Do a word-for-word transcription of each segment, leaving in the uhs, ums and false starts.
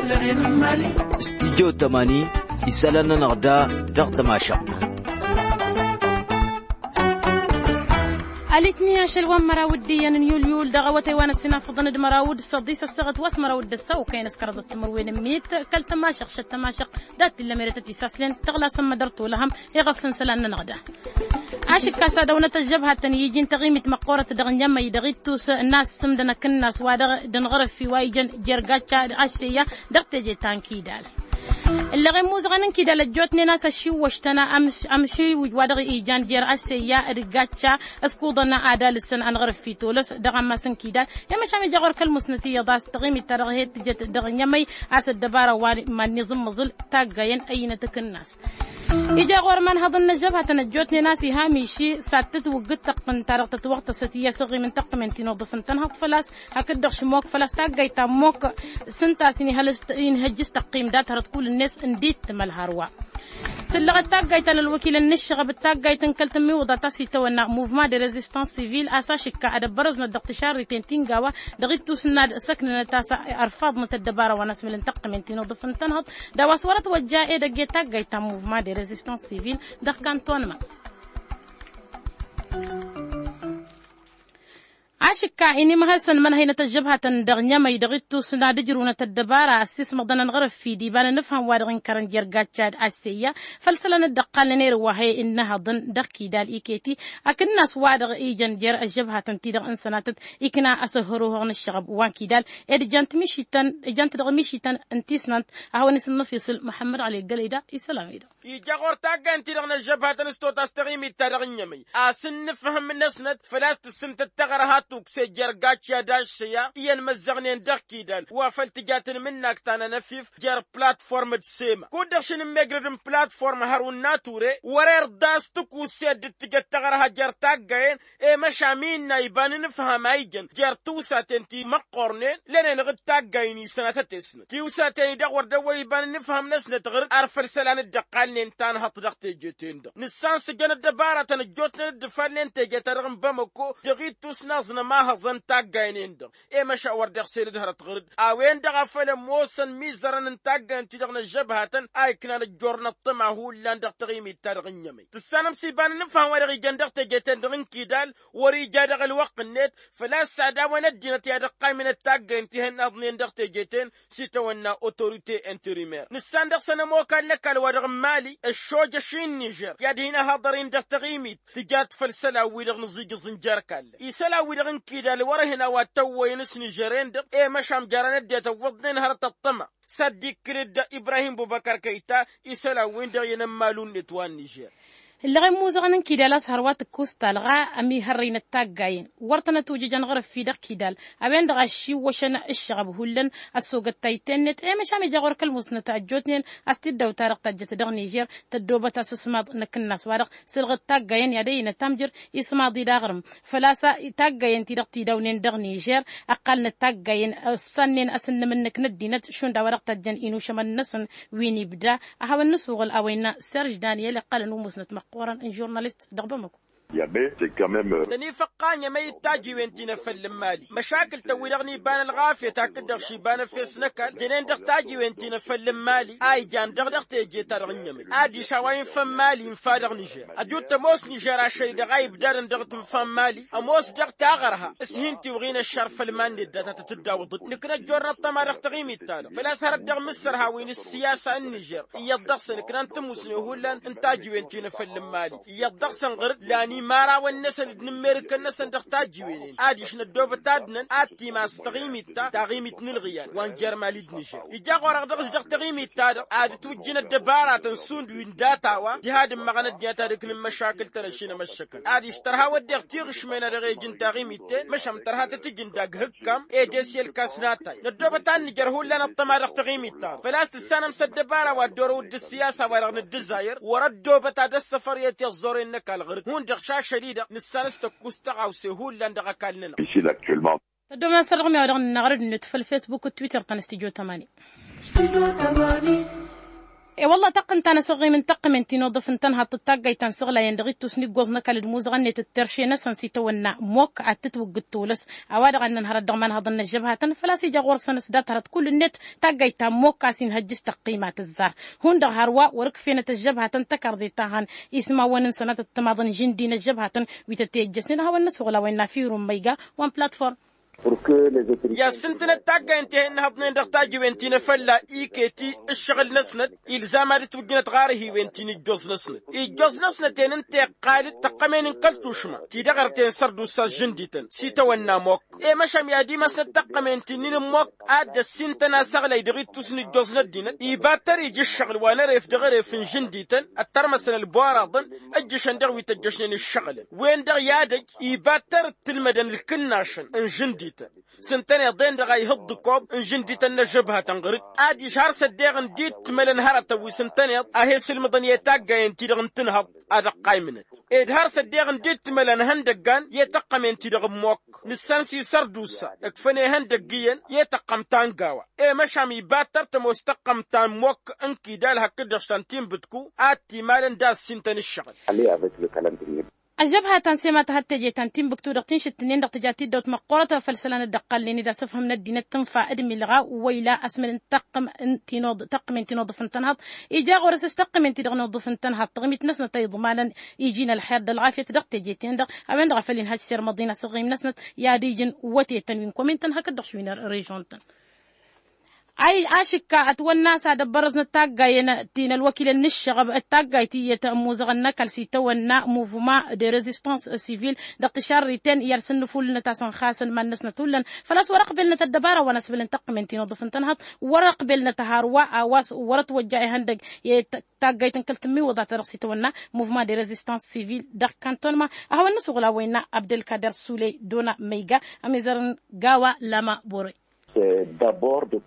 Studyo tămani isălan-nănăɣ da dăɣ-tămašăɣt. Alitni ašăl wa n-măraw d-iyyăn n-yulyul dăɣ-awătay wa n-ăssinafăḍăn d-măraw d-săḍis ăssăɣăt wa s-măraw d-ăssaw kăyăn s-kăraḍăt timǝrwen n-mit kăl-tămašăɣ šăt tămašăɣ dat-illa merătăt isaslăn tăɣlasăn mădăr tolăhăm iɣăf n-isălan-nănăɣ da. Ašǝkkas ad-ăwnăt ăžžăbhatăn iji n-taɣimit măqqoorăt dăɣ-nyămăy dăɣ-ittus n-asǝmdăn akǝnnas wa dăɣ-dănɣărăffi wa ijăn jer-gacca d-aššeyya dăɣ-teje ta n-kidal. Ǝlleɣ i-imuzăɣăn n-kidal ăjjootnen a-s ăššiwwăštăn amšiwǝj wa dăɣ-ijan jer-aššeyya d-gacca ăskuḍăn ad-alǝssăn anɣărăffi tolăs dăɣ-ammas n-kidal i-măšan ija ɣur-kăl-musnăt iyyăḍ a-s taɣimit-ta-dăɣ he-tǝjăt dăɣ-nyămăy a-s ăddăbara wa iman n-iẓǝmmăẓǝl taggayen ăyyinăt akǝnnas. Ija ɣur-imanhăḍăn n-ăžžăbhatăn ăjjootnen a-s iha miši s-ad-tǝtwǝggǝd tăqqǝn-ta-dăɣ tătwăɣtăsăt iyyăs ăɣim n-taqqǝmen ti n-uḍǝf n-tănhăḍ făl-a-s hakd-dăɣ šmok făl-a-s taggayt ta n-mok s-ǝnta a-s inhăjjǝs tăqqim dat-hărăt kull-net n-dd-tǝmăl hărwa. Tǝllăɣăt taggayt ta n-ălwăkilăn n-ǝššăɣăb d-taggayt n-kăl-tǝmmiwǝḍa ta s-itawănna muvma de rezistans sivil a-s ašǝkka ad-ăbbărăznăt dăɣ-tišarriten ti n-gawa dăɣ-ittus n-ad-săknănăt a-s ărfaḍnăt ăddăbara wa n-asmǝl n-taqqǝmen ti n-uḍǝf n-tănhăḍ d-a-wa s-wărăt wăjja edăgg i-taggayt ta n-muvma de rezistans sivil dăɣ-kantonma. Ašǝkka inimhăsăn mănhăynăt ăžžăbhatăn dăɣ-nyămăy dăɣ-ittus n-ad-ǝjrǝwnăt ăddăbara ăssiismăḍăn ănɣărăf-dd iba n-anǝfhăm wa dăɣ-inkărăn jer-gacca d-aššeyya făll-isălan dd-ăqqalnen erǝw wa he-innăhăḍăn dăɣ-kidal iket-i akǝnnas wa dăɣ-ijăn jer-ăžžăbhatăn ti dăɣ-n sănatăt ikna asăhăruhăɣ n-ǝššăɣăb wa n-kidal ed ijant mišităn ijant dăɣ-mišităn n-tisnant a hawăn-isǝnnăfisǝl muḥămmăd ɣali ăggălăy da isălan-wi-dăɣ. Ija ɣur-taggayăn ti dăɣ-năžžăbhatăn s-tot a-s taɣimit-ta-dăɣ n-inyămăy a-s ǝnnǝfhǝm-năsnăt făl-a-s tǝssǝmtăt taɣărha tukse jer-gacciya d-aššăya iyyăn măzzăɣnen dăɣ-kidal wa făl tǝja tǝnmǝnnak ta n-anăfif jer-platform d-sema kud-dăɣ šăn ǝmmegrăd n-platform hărun n-ature wăr-irḍas tǝkusse dd-tǝjăt taɣărha jer-taggayen i-măšan mi innă iba n-inǝfham a ijăn jer-tiwsaten ti măqqornen lănen ɣǝd taggayen isănatăt-esnăt tiwsaten-i-dăɣ wăr dăwwăy iba n-inǝfham-năsnăt ɣǝr-dd ar făll-isălan dd-ăqqalnen tanhăḍt dăɣ-teje-ten-dăɣ nǝssan s-ǝjăn ăddăbaratăn ăjjootnen dd-ǝfalnen teje-ta-dăɣ n-bamăko dăɣ-ittus n-aẓnăm ahăẓăn taggayen-en-dăɣ i-măšan wăr dăɣ-sel d-hărăt ɣǝr-dd a-wen-dăɣ a făl ămoosăn imizărăn n-taggayen-ti-dăɣ n-ăžžăbhatăn a iknan ăjjoorăn ăṭṭăma hullan dăɣ-taɣimit-ta-dăɣ n-inyămăy tǝssanăm s-iba n-inǝfham wa dăɣ-ijăn dăɣ-teje-ten-dăɣ n-kidal wăr-ija dăɣ-ălwăqq-net făl-a-s ad-awăn ăddinăt i-ad-ǝqqaymǝnăt taggayen ti hănnăɣḍnen dăɣ-teje-ten s-itawănna autorite interimer nǝssan dăɣ-săn ămokal n-ăkall wa dăɣ-n mali ăššojăš-in nižer i-ad-hin-ăhaḍăr-in dăɣ-taɣimit tǝjat făll-isălan-wi-dăɣ nǝẓijǝẓ n-jer-kallăn isălan-wi-dăɣ n-kidal wăr-ǝhǝn a-wa t-ăwwăyăn s-nižer-en-dăɣ i-măšan jarăn ăddinăt ăwwăḍnen hărăt ăṭṭăma s-ad-dd-ikkǝlăd ibrahim bubăkăr kăyta isălan-win-dăɣ i-inămmalu-net wa n-nižer. Ǝlleɣ i-imuzăɣăn n-kidal a-s hărwa tǝkkus talɣa ămihărrăynăt taggayen wăr tănăt ujǝj ănɣărăf-i dăɣ-kidal a-wen-dăɣ a ăššiwwăšăn ǝššăɣăb hullan ăssogăt tayǝtte-net i-măšan ija ɣur-kăl-musnăt ăjjootnen a-s t-dd-ăwta dăɣ-tajjăt dăɣ-nižer tăddoobăt asǝsmaḍ n-akǝnnas-wa-dăɣ s-ǝlɣǝd taggayen i-ad-ăynăt amjăr ismaḍ-i d-aɣrǝm făl-a-s taggayen-ti-dăɣ tidawnen dăɣ-nižer ăqqalnăt taggayen ăssannen asǝnnǝm-năk n-ăddinăt šund a-wa dăɣ-tajjăn inušămăn-năsăn wi n-ibda a hawăn-nǝsuɣǝl a-wa innă serž daniyel iqqălăn umusnăt măqqoorăn n-žurnalist dăɣ-bamăko. Tăn-ifăqqa nyămăy d-tajiwen ti n-efăll n-imali măšakǝl-tăn-wi-dăɣ n-iba n-ălɣafyăt hakd-dăɣ šiba n-efes n-ăkall jănen dăɣ-tajiwen ti n-efăll n-imali a ijan dăɣ-dăɣ teje-ta-dăɣ n-inyămăy adiš a-wa infa n-imali infa dăɣ-nižer ăjut ămoos nižer ašăl-i-dăɣ a ibdadăn dăɣ-tǝnfa n-imali ămoos dăɣ-taɣărha s-hin-tiwɣin ăššar făll-iman-net data tăt-dd-awǝḍăt nǝkna ăjjoorăn ăṭṭăma dăɣ-taɣimit-ta-dăɣ făl-a-s hărăt dăɣ-imǝssărhawen s-siyasa n-nižer iyyăḍ dăɣ-săn ǝknan tămusne hullan n-tajiwen ti n-efăll n-imali iyyăḍ dăɣ-săn ɣăr-dd lan imărawăn-năsăn d-inǝmmerǝkăn-năsăn dăɣ-tajiwen-en adiš năddoobăt ad-dăɣ-năn ad-timas taɣimit-ta taɣimit n-ǝlɣǝyal wa n-jer-imali d-nižer ija ɣur-dăɣ dăɣ-s dăɣ-taɣimit-ta-dăɣ ad-ǝtwǝjjǝn ăddăbaratăn šund wi n-data-wa diha d-ǝmmăɣăn ăddinăt ad-ǝknǝn măšakǝl-tăn ăššinămăššăkăn adiš tărha wădden tiɣǝšmen a dăɣ-ej n-taɣimit-ten măšan tărha tăt-ǝjǝn dagg hǝkkam ed esi ălkas n-atay năddoobăt ad-nǝjăr hullan ăṭṭăma dăɣ-taɣimit-ta-dăɣ făl-a-s tǝssanăm s-ăddăbara wa dd-orăw d-ăssiyasa wa dăɣ-nǝddǝzayăr wăr-ăddoobăt ad-ăssăfăr i-tiẓẓoren n-ăkall ɣǝr-dd hundăɣ šašăl-i-dăɣ nǝssan s-tăkkus tăɣawse hullan dăɣ-ăkall-nănăɣ. Tăddoobăn asărdăɣ mi-a-wa dăɣ-nǝnnaɣ ărăd-net făll-fesbuk d-twitter ta n-stujo tămani. E-wălla taqqǝn ta n-asăɣɣim n-taqqǝmen ti n-uḍǝf n-tănhaḍt d-taggayt ta n-săɣlayăn dăɣ-ittus n-iggoẓ n-ăkall d-imuzăɣăn-net d-terše-năsăn s-itawănna mokk ad-tǝtwǝggǝd tulǝs. A-wa-dăɣ a ǝnnăn hărăt dăɣ-imanhăḍăn n-ăžžăbhatăn făl-a-s ija ɣur-săn s-dat hărăt kull-net. Taggayt ta n-mokk a-s inhăjj s-tăqqima tǝzzar hundăɣ hărwa wăr-ǝkfenăt ăžžăbhatăn tăkarḍe ta hăn ismawăn n-sănatăt timaḍăn žǝndi n-ăžžăbhatăn wi tăt-e-ǝjjăsnen ad-hawăn-nǝsuɣǝl a-wa innă firun măyga. Wa n-platform. I-ad-sǝntǝnăt taggayen ti he-ǝnnăhăḍnen dăɣ-tajiwen ti n-afălla iketi ǝššăɣǝl-năsnăt ilzam ad-ǝtwǝjjǝnăt ɣarăhiwen ti n-ijjoẓ-năsnăt ijjoẓ-năsnăt-en ǝnta iqqal-dd tăqqămen n-kăl-tušma ti dăɣ-ărten sărdusa žǝndităn s-itawănna mokk. I-măšan i-ad-imasnăt tăqqămen ti-nin n-mokk ad-dd-ăssintăn asăɣlay dăɣ-ittus n-ijjoẓ n-ăddinăt iba tăr-ija ǝššăɣǝl wa n-eref dăɣ-eref n-žǝndităn ăttărmăsăn ălboraḍăn. Ǝjjǝšăn dăɣ-wi tăjjăšnen ǝššăɣǝlăn wen-dăɣ i-ad-ăj iba tăr-dd tǝlmădăn ǝlkǝnnašăn n-žǝndităn s-ǝntăneḍ-en-dăɣ a ihǝḍḍǝkob n-žǝndităn n-ăžžăbhatăn ɣăr-dd. Ad-ižhar s-ăddeɣ ǝndi d-timălăn hărătăn wi s-ǝntăneḍ a he-sǝlmǝḍăn i-taggayen-ti-dăɣ n-tǝnhăḍt ad-ăqqaymǝnăt ed har s-ăddeɣ ǝndi d-timălăn ihăndăggan i-tăqqămen-ti-dăɣ n-mokk. Nǝssan s-isărdusa ǝkfăn ihăndăgg iyyăn i-tăqqăm ta n-gawa. I-măšam ibattăr tămoos tăqqăm ta n-mokk n-kidal hakd-dăɣ štan tinbǝtku ad-t-imalăn d-assintăn ǝššăɣǝl. Ăžžăbha ta n-sema tăhăt teje ta n-tinbǝktu dăɣ-tinšǝttǝnnen dăɣ-tǝja tiddawt măqqoorăt făll-isălan dd-ăqqalnen d-asǝfhǝm n-ăddinăt tǝnfa d-milɣa wăyla asmăl n-taqqǝm n-tinod taqqǝmen tinod ăfǝntănhaḍ. Ija ɣur-s s-taqqǝmen-ti-dăɣ n-uḍǝf n-tănhaḍ tăɣmit-năsnăt a iḍmanăn iji n-ălxer d-ălɣafyăt dăɣ-teje-ten-dăɣ a-wen-dăɣ a făl inhăj s-irmăḍin asǝɣɣim-năsnăt i-ad-ijǝn wătetăn wi n-komin-tăn hakd-dăɣ šwin režon-tăn. Ašǝkka ătwănna a-s ad-ăbbărăẓnăt taggayen ti n-ălwăkilăn n-ǝššăɣăb d-taggayt iyyăt ămmuzăɣăn n-ăkall s-itawănna muvma de rezistans sivil dăɣ-tišarriten i-ad-sǝnnǝfulǝlnăt a-s ănxasăn iman-năsnăt hullan. Făl-a-s wăr-ăqbelnăt ăddăbara wa n-asbăl n-taqqǝmen ti n-uḍǝf n-tănhăḍt wăr-ăqbelnăt hărwa a-wa s-wăr-ătwăjja ihăndăg i-taggayt n-kăl-tǝmmiwǝḍa-ta-dăɣ s-itawănna muvma de rezistans sivil dăɣ-kantănma. A hawăn-nǝsuɣǝl a-wa innă abdălkader sule dona măyga ămizăr n-gawa lama bore.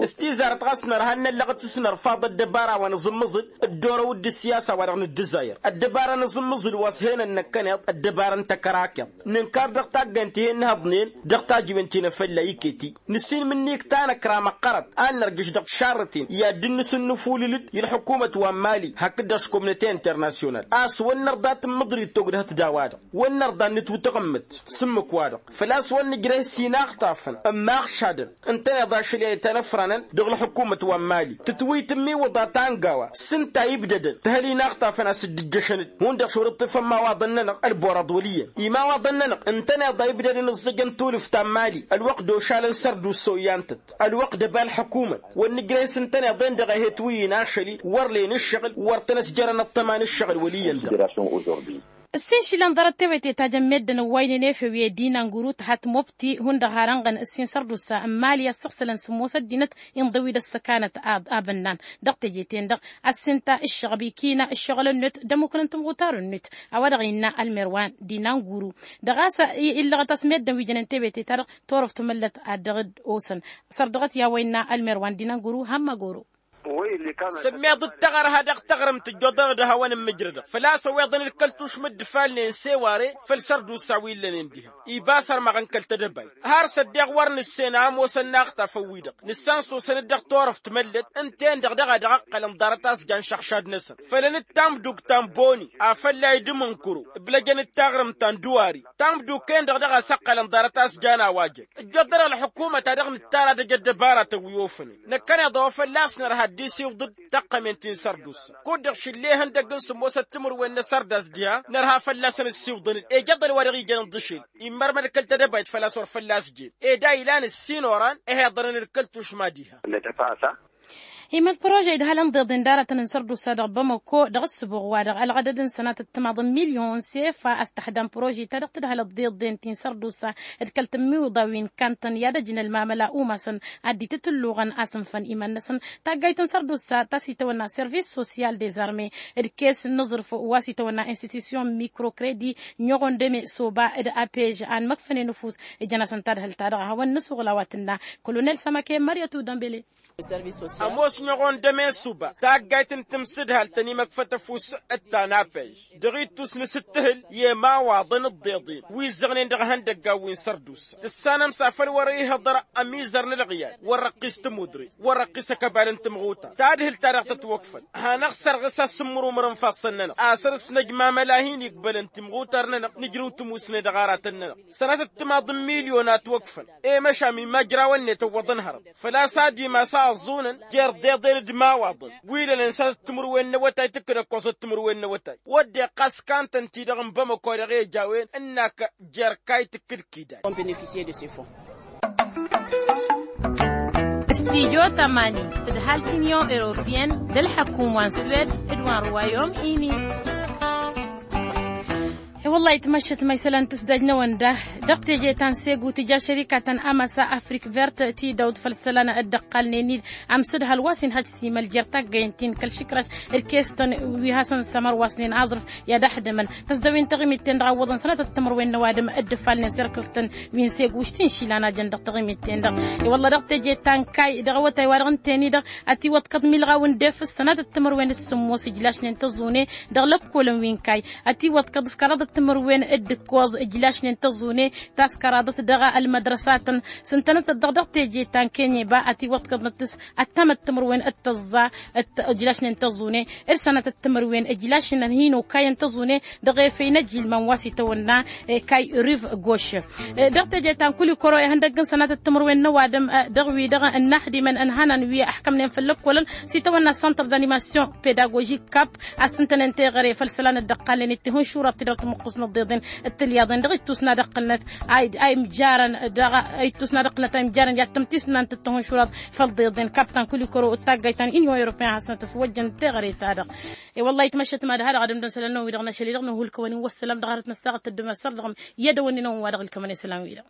S-tizarăt ɣas nărha ad-năllăɣăt s-nărfaḍ ăddăbara wa n-aẓǝmmǝẓǝl dd-orăw d-ǝssiyasa-wa-dăɣ n-ǝddǝzayăr ăddăbara n-aẓǝmmǝẓǝl wa s-henăn năkkăneḍ ăddăbara n-takărakeḍt. Nǝnkar dăɣ-taggayăn ti he-ǝnhăḍnen dăɣ-tajiwen ti n-afălla iketi nǝssin mǝnnik tanăkra măqqărăt ad-nărjǝš dăɣ-tišarrăten i-ad-dd-nǝsǝnnǝfulǝl-dd i-ălḥukumăt wa n-mali hakd-dăɣ s-komnăte internasyonal a-s wăr nărḍa tǝmmǝḍrit togdăhăt d-a-wa-dăɣ wăr nărḍa ad-nǝtwǝtăɣǝmmǝt. S-ǝmmǝk-wa-dăɣ făl-a-s wăr nǝjrăh s-inaɣtafăn ămmaɣšadăn ǝntăneḍ ašăl i-ad-itanăfranăn dăɣ-ălḥukumăt wa n-mali tǝtwǝy tǝmmiwǝḍa ta n-gawa s-ǝnta ibdădăn tǝhăl inaɣtafăn a-s dd-ǝjjăšăn-dd hundăɣ šorăṭṭifăn imawaḍăn-nănăɣ ălboraḍ wăl' iyyăn imawaḍăn-nănăɣ ǝntăneḍ a ibdădăn ǝẓẓǝjăn tulǝft ta n-mali ălwăqq d-ošalăn sărdusa oyyantăt ălwăqq d-ăba ălḥukumăt. Wăr nǝjrăh s-ǝntăneḍ-en-dăɣ a he-twǝyyǝn ašăl-i wăr len ǝššăɣǝl wăr tăn-ăsjărăn ăṭṭăma n-ǝššăɣǝl wăl' iyyăn-dăɣ. Ǝssin išilan ḍarăt tewăte ta jăn meddǝn ăwwaynen efew i-ed inanguru tăhat mobti hundăɣ har ănɣăn ǝssin sărdusa n-mali ăssăɣsălăn sǝmmos ăddinăt inḍăw-dd ăssăkanăt. Abănnan dăɣ-teje-ten-dăɣ ăssin ta ǝššăɣăb ikina ǝššăɣǝl-net d-ămmuknăn timɣutar-net. A-wa-dăɣ innă ălmer wa n-dinanguru dăɣ-a-s illăɣăt a-s meddǝn wi jănen tewăte-ta-dăɣ torăft măllăt ad-dăɣ-dd-osăn. Sărdăɣăt i-a-wa innă ălmer wa n-dinanguru hămmăgoro. Sǝmmeḍ d-taɣărha dăɣ-taɣrǝmt ǝjjoḍănăɣ d-hawăn-ǝmmǝjrădăɣ făl-a-s ăweḍăn d-kăl-tušmǝd d-ifalnen s-eware făll-sărdusa wi ǝllănen diha. Iba sărmăɣăn kăl-tedăbayt har s-ăddeɣ wăr nǝssen a ămoosăn inaɣtafăn-wi-dăɣ nǝssan s-osăn-dd dăɣ-torăft măllăt. Ǝnta-en-dăɣ daɣ a dăɣ-ăqqălăn ḍarăt a-s jan šăɣšad-năsăn fălăn d-tamduk ta n-boni afălla idǝm n-kăro ǝblăjăn d-taɣrǝmt ta n-dăwari. Tamduk-en-dăɣ daɣ a-s ăqqălăn ḍarăt a-s jan a-wa jăn ǝjjăḍ dăr-ălḥukumăt a dăɣ-nǝttar ad-ăj ăddăbara tăwwi ofănen. Năkkăneḍ a-wa fălla-s nărha dd-isiwǝḍ-dd taqqămen ti n-sărdusa kud-dăɣ šǝlle ihăndăgg n-sǝmmosăt timǝrwen n-asărdas diha nărha fălla-săn ǝssiwǝḍăn-dd ejăḍăl wa dăɣ-ijăn ǝnḍǝšel. Immărmăd kăl-tedăbayt făl-a-s wăr fălla-s jen ed a ilan ǝssin oran. Ih'-iḍărăn d-kăl-tušma diha. Imăl prože idhălăn ḍeḍen d-aratăn n-sărdusa dăɣ-bamăko dăɣ-ǝssǝbuɣ-wa-dăɣ ălɣădăd n-sănatăt timaḍ n-milyon sefa ăstăxdam prože-ta-dăɣ tǝdhălăt ḍeḍen ti n-sărdusa d-kăl-tǝmmiwǝḍa wi n-kantăn i-ad-ăjnălmamăla umasăn ad-dd-itǝtǝlluɣăn asǝnfăn iman-năsăn. Taggayt n-sărdusa ta s-itawănna service sosyal dezarme d-kes n-aẓrǝf wa s-itawănna institusyon mikrokredit n-iɣondăme soba d-apej a ănmăkfănen ăfuss. Ǝjăn-asăn tadhǝlt-ta-dăɣ a hawăn-nǝsuɣǝl a-wa tǝnna kolonel samake măryătu dămbele. Ămoos. Ănɣăɣ-ănn d-emesuba taggayt n-timsǝdhal tăn-imăkfăt ăfuss d-tanapej dăɣ-ittus n-asǝttǝhǝl i-emawaḍăn ǝḍḍeḍen wi ǝzzăɣnen dăɣ-ihăndăggan wi n-sărdusa. Tǝssanăm s-afăl wăr-ihăḍăr ămizăr n-ălɣiyad wăr-răqqis tămudre wăr-răqqis ăkăbal n-timɣutar. Tadhǝlt-ta-dăɣ tătwăkfăl hanăɣ-sărɣǝs asǝmmǝr umăr n-ifassăn-nănăɣ asăr-s năjmamăl a hin-igbălăn timɣutar-nănăɣ nǝjrǝw tămusne dăɣ-aratăn-nănăɣ. Sănatăt timaḍ n-milyon a ătwăkfăn i-măšan mi majrawăn-net ăwwăḍăn hărăt făl-a-s ad-imas a ăẓẓunăn jer-deḍen d-imawaḍăn wi lălăn s-ad-ăttǝmǝrwen n-awătay tǝkkǝd ăkkoẓăt timǝrwen n-awătay. Wădden ɣas kantăn-ti-dăɣ n-bamăko dăɣ-ejawăyăn ǝnn'-ak jer-kayy tǝkkǝd kidad. Studyo tămani tǝdhal t-inyon europeyăn d-ălḥăkum wa n-swed d-wa n-ruwayom ini. E-wălla-hi tmăššăt ma isălan tǝsdaj n-ewăn da dăɣ-teje ta n-segu tǝja šărika ta n-amăsa afrik vert tidawt făll-isălan dd-ăqqalnen-dd amsǝdhal wa s-inhăj simăl jer-taggăyen ti n-kăl-išǝkraš d-kestăn wi hasăn-sămărwasnen aẓrǝf i-ad-ahdǝmăn tăsdăwen taɣimit-ten-dăɣ a ǝwwăḍăn sănatăt timǝrwen n-ăwadǝm dd-ǝfalnen s-erkǝltăn wi n-segu ǝštin išilan a jăn dăɣ-taɣimit-ten-dăɣ. I-wălla dăɣ-teje ta n-kayy dăɣ-awătay wa-dăɣ ǝnten-i-dăɣ ătiwăḍkăḍ milɣaw n-defǝs sănatăt timǝrwen d-sǝmmos ǝjlašnen tăẓune dăɣ-lăkkolăn wi n-kayy ătiwăḍkăḍ s-kăraḍăt timǝrwen d-ǝkkoẓ ǝjlašnen tăẓune taskăraḍăt dăɣ-ălmădrăsatăn s-ǝntănătăt-dăɣ dăɣ-teje ta n-kenyeba ătiwăḍkăḍnăt s-ăttămăt timǝrwen d-tăẓẓa ǝjlašnen tăẓune d-sănatăt timǝrwen ǝjlašnen hin-okayăn tăẓune dăɣ-efăy n-ăjilman wa s-itawănna kayy riv goš. Dăɣ-teje ta n-kulikoro ihăndăgg n-sănatăt timǝrwen n-ăwadǝm dăɣ-wi-dăɣ ǝnnăhdimăn ănhănan wi ăḥkămnen făll-ăkkolăn s-itawănna centre d'animation pedagogique cap a-s ǝntănen teɣăre făll-isălan dd-ăqqalnen d-tihǝnšuraḍ ti dăɣ-timǝqqus n-ăḍḍeḍen d-tilyaḍen dăɣ-ittus n-ad-ăqqǝlnăt a imjarăn dăɣ-ittus n-ad-ăqqǝlnăt a imjarăn i-ad-tămtisnant d-tihǝnšuraḍ făll-ăḍḍeḍen cap ta n-kulikoro d-taggayt ta n-inyon europeyăn ad-hasăn-tăswăjjăn teɣăre-ta-dăɣ. E-wălla-hi tmăššăt mad-ha-dăɣ ad-ǝmdăn isălan-năwăn-wi-dăɣ n-ašăl-i-dăɣ nǝhu ǝlkăwăn-in wăssălam dăɣ-arăt n-ăssaɣăt tădduma săr-dăɣ i-ad-ăwănnin-awăn wa dăɣ-ǝlkămăn isălan-wi-dăɣ.